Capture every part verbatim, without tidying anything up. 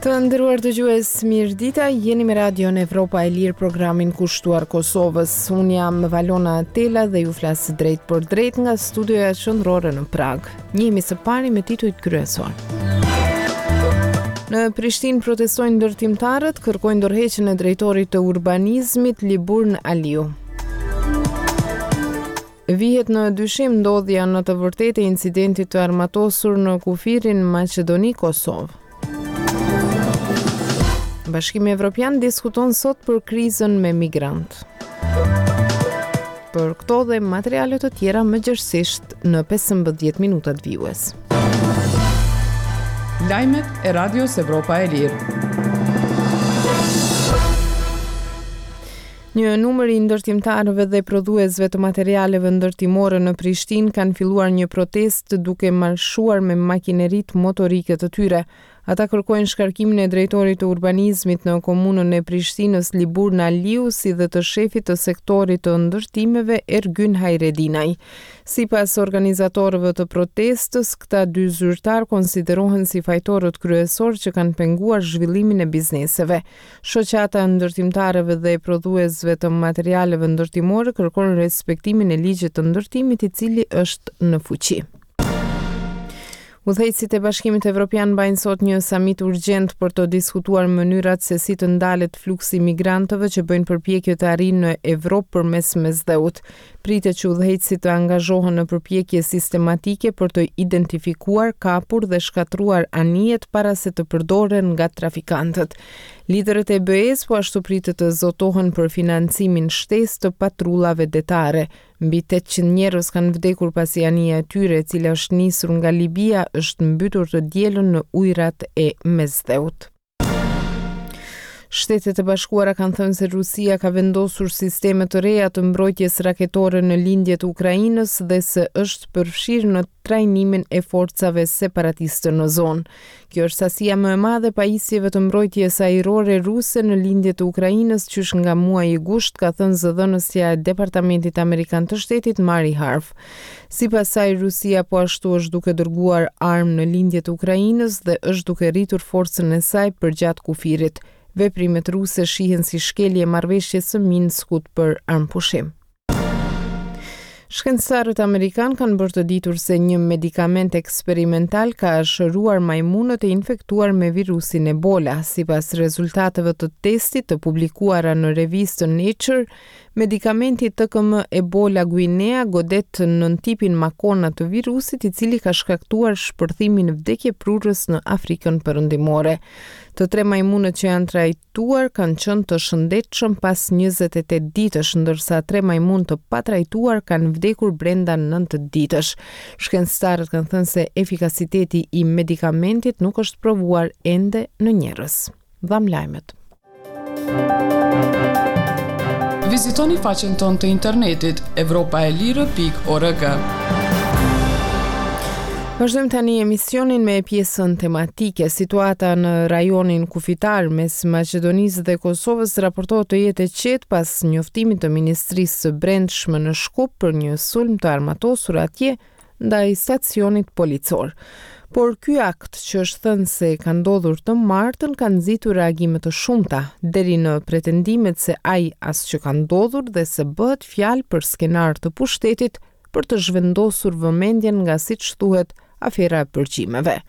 Të nderuar dëgjues, mirëdita, jeni me Radion Evropa e Lirë, programin kushtuar Kosovës. Unë jam Valona Tela dhe ju flas drejtpërdrejt nga studioja qendrore në Pragë. Njihemi së pari me titujt kryesor. Në Prishtinë protestojnë ndërtimtarët, kërkojnë dorëheqjen e drejtorit të urbanizmit Liburn Aliu. Vihet në dyshim ndodhja në të vërtetë e incidentit të armatosur në kufirin Maqedoni-Kosovë. Bashkimi Evropian diskuton sot për krizën me migrant. Për këto dhe materiale të tjera më gjerësisht në pesëmbëdhjetë minutat vijues. Lajmet e Radios Evropa e Lirë. Një numër i ndërtimtarëve dhe prodhuesve të materialeve ndërtimore në Prishtinë kanë filluar një protestë duke marshuar me makineritë motorike të tyre. Ata kërkojnë shkarkimin e drejtorit të urbanizmit në komunën e Prishtinës Liburn Aliu si dhe të shefit të sektorit të ndërtimeve Ergyn Hajredinaj. Sipas organizatorëve të protestës, këta dy zyrtar konsiderohen si fajtorët kryesor që kanë penguar zhvillimin e bizneseve. Shoqata e ndërtimtarëve dhe prodhuesve të materialeve ndërtimore kërkon respektimin e ligjit të ndërtimit i cili është në fuqi. Udhëheqësit e Bashkimit Evropian mbajnë sot një samit urgjent për të diskutuar mënyrat se si të ndalet fluksi i migrantëve që bëjnë përpjekje të arrijnë në Evropë përmes Mesdheut. Pritet që udhëheqësit të angazhohen në përpjekje sistematike për të identifikuar, kapur dhe shkatërruar anijet para se të përdoren nga trafikantët. Liderët e B E-s po ashtu pritet të zotohen për financimin shtesë të patrullave detare. Mbi tetëqind njerëz kanë vdekur pasi anija e tyre, e cila është nisur nga Libia, është mbytur të dielën në ujërat e Mesdheut. Shtetet e Bashkuara kanë thënë se Rusia ka vendosur sisteme të reja të mbrojtjes raketore në lindje të Ukrainës dhe se është përfshirë në trajnimin e forcave separatiste në zonë. Kjo është sasia më e madhe e pajisjeve të mbrojtjes ajrore ruse në lindje të Ukrainës qysh nga muaji gusht, ka thënë zëdhënësja e Departamentit Amerikan të Shtetit Mari Harf. Sipas saj, Rusia po ashtu është duke dërguar armë në lindje të Ukrainës dhe është duke rritur forcën e saj përgjatë kufirit. Veprimet ruse shihen si shkelje e marrëveshjes së Minskut për armëpushim. Shkencëtarët amerikan kanë bërë të ditur se një medikament eksperimental ka shëruar majmunët e infektuar me virusin Ebola. Sipas rezultateve të testit të publikuara në revistën Nature, medikamenti T K M Ebola Guinea godet nën tipin Makona të virusit, i cili ka shkaktuar shpërthimin vdekjeprurës në Afrikën Perëndimore. Të tre majmunët që janë trajtuar kanë qenë të shëndetshëm pas njëzet e tetë ditësh, ndërsa tre majmunë të patrajtuar kanë vdekur brenda nëntë ditësh. Shkencëtarët kanë thënë se efikasiteti i medikamentit nuk është provuar ende në njerëz. Dham lajmet. Vizitoni faqen tonë të internetit evropa e lirë pikë org. Vazhdojmë tani emisionin me pjesën tematike. Situata në rajonin kufitar mes Maqedonisë dhe Kosovës raportohet të jetë e qetë pas njoftimit të Ministrisë së Brendshme në Shkup për një sulm të armatosur atje ndaj stacionit policor. Por ky akt që është thënë se ka ndodhur të martën ka nxitur reagime të shumta, deri në pretendimet se ai as që ka ndodhur dhe se bëhet fjalë për skenar të pushtetit për të zhvendosur vëmendjen nga, siç thuhet, afera e përgjimeve.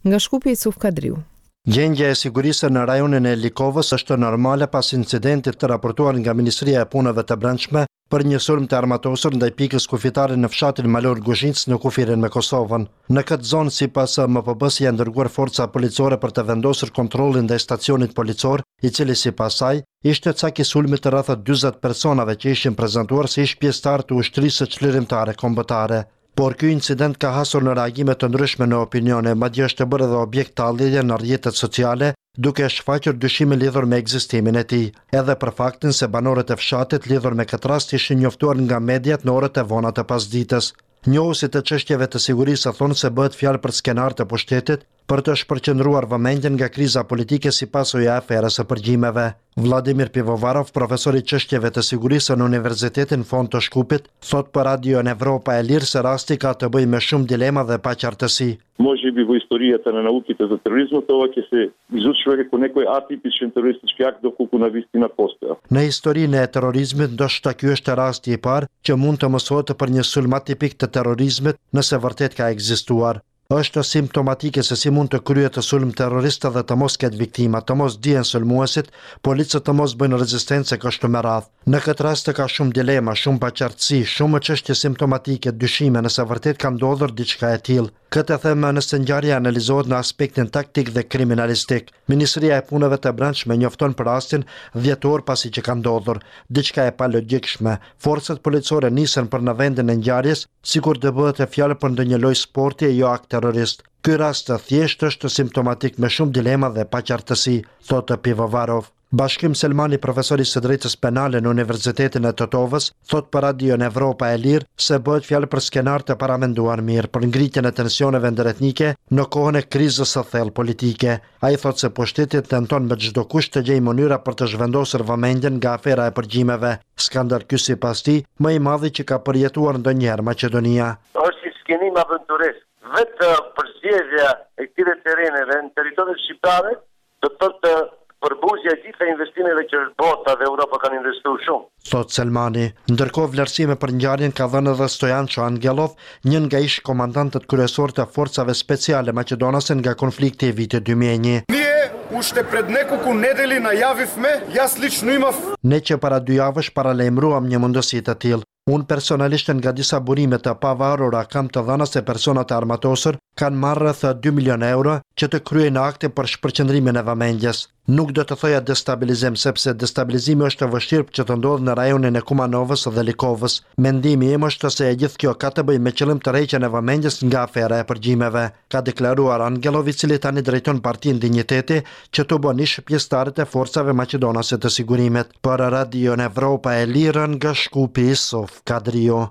Nga Shkupi, Isuf Kadriu. Gjendja e sigurisë në rajonin e Likovës është normale pas incidentit të raportuar nga Ministria e Punëve të Brendshme për një sulm të armatosur ndaj pikës kufitare në fshatin Malor Guzhincë në kufirin me Kosovën. Në këtë zonë, sipas M P B-s, janë dërguar forca policore për të vendosur kontrollin ndaj stacionit policor, i cili sipas saj ishte cak i sulmit të rreth dyzet personave që ishin prezantuar si ish pjesëtar të ushtrisë çlirimtare kombëtare. Por ky incident ka hasur në reagime të ndryshme në opinione, madje është bërë edhe objekt talljeje në rrjetet sociale, duke shfaqur dyshime lidhur me ekzistimin e tij, edhe për faktin se banorët e fshatit lidhur me këtë rast ishin njoftuar nga mediat në orët e vona të pasditës. Njohësit e çështjeve të sigurisë thonë se bëhet fjalë për skenar të pushtetit, për të shpërqendruar vëmendjen nga kriza politike si pasojë e aferës së përgjimeve. Vladimir Pivovarov, profesor i çështjeve të sigurisë në Universitetin Fond të Shkupit, thotë për Radion Evropa e Lirë se rasti ka të bëjë me shumë dilema dhe paqartësi. Можеби во историјата на науките за тероризмот ова ќе се изучува како некој атипичен терористички акт доколку навистина постоја. Në historinë e terrorizmit ndoshta ky është rasti i parë që mund të mësohet për një sulm atipik të terrorizmit nëse vërtet ka ekzistuar. Është simptomatike se si mund të kryhet sulm terrorist dhe të mos ketë viktima, të mos dihen sulmuesit, policët të mos bëjnë rezistencë e kështu me radhë. Në këtë rast ka shumë dilema, shumë paqartësi, shumë çështje simptomatike, dyshime nëse vërtet ka ndodhur diçka e tillë. Këtë e them nëse ngjarja analizohet në aspektin taktik dhe kriminalistik. Ministria e Punëve të Brendshme njofton për rastin dhjetë orë pasi që ka ndodhur. Diçka e palogjikshme. Forcat policore nisen për në vendin e ngjarjes, sikur të bëhet e fjalë për ndonjë lojë sporti e jo akt terrorist. Ky rast thjesht është simptomatik me shumë dilema dhe paqartësi, thotë Pivovarov. Bashkim Selmani, profesor i së drejtës penale në Universitetin e Tetovës, thotë për Radion Evropa e Lirë se bëhet fjalë për skenar të paramenduar mirë për ngritjen e tensioneve ndëretnike në kohën e krizës së thellë politike. Ai thotë se pushteti tenton me çdo kusht të gjejë mënyra për të zhvendosur vëmendjen nga afera e përgjimeve. Skandal ky sipas tij, më i madhi që ka përjetuar ndonjëherë Maqedonia. Është një skenim aventuresk. Vetë përzgjedhja e këtyre terreneve në territoret shqiptare do të thotë përbuzja e gjitha investimeve që bota dhe Europa kanë investuar shumë. Thot Selmani. Ndërkohë vlerësime për ngjarjen ka dhënë edhe Stojanço Angelov, një nga ish komandantët kryesor të forcave speciale maqedonase nga konflikti i vitit dy mijë e një. Ние уште пред неколку недели најавивме, јас лично имав Ne që para dy javësh paralajmëruam një mundësi të tillë. Unë personalisht nga disa burime të pavarura kam të dhëna se personat e armatosur kanë marrë rreth dy milion euro që të kryejnë akte për shpërqendrimin e vëmendjes. Nuk do të thoja destabilizim, sepse destabilizimi është e vështirë që të ndodhë në rajonin e Kumanovës dhe Likovës. Mendimi im është se e gjithë kjo ka të bëjë me qëllim të rreqjen e vëmendjes nga afera e përgjimeve, ka deklaruar Angelov, i cili tani drejton Partinë Dinjiteti, që tubon ish pjesëtarët e forcave maqedonase të sigurimit. Për Radion Evropa e Lirë nga Shkupi, Isuf Kadrio.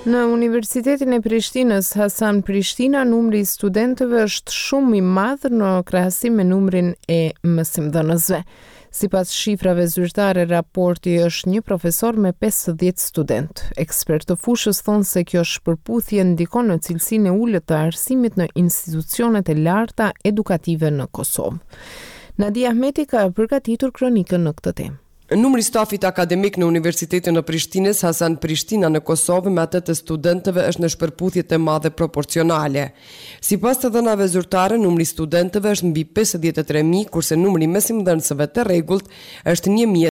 Në Universitetin e Prishtinës, Hasan Prishtina, numri i studentëve është shumë i madh në krahasim me numrin e mësimdhënësve. Sipas shifrave zyrtare, raporti është një profesor me pesëdhjetë student. Ekspertë të fushës thonë se kjo shpërputhje ndikon në cilësinë e ulët të arsimit në institucionet e larta edukative në Kosovë. Nadia Ahmeti ka përgatitur kronikën në këtë temë. Numri i stafit akademik në Universitetin e Prishtinës, Hasan Prishtina në Kosovë, me atë të studentëve është në shpërputhje të madhe proporcionale. Sipas të dhënave zyrtare, numri i studentëve është mbi pesëdhjetë e tre mijë, kurse numri i mësimdhënësve të rregullt është një mijë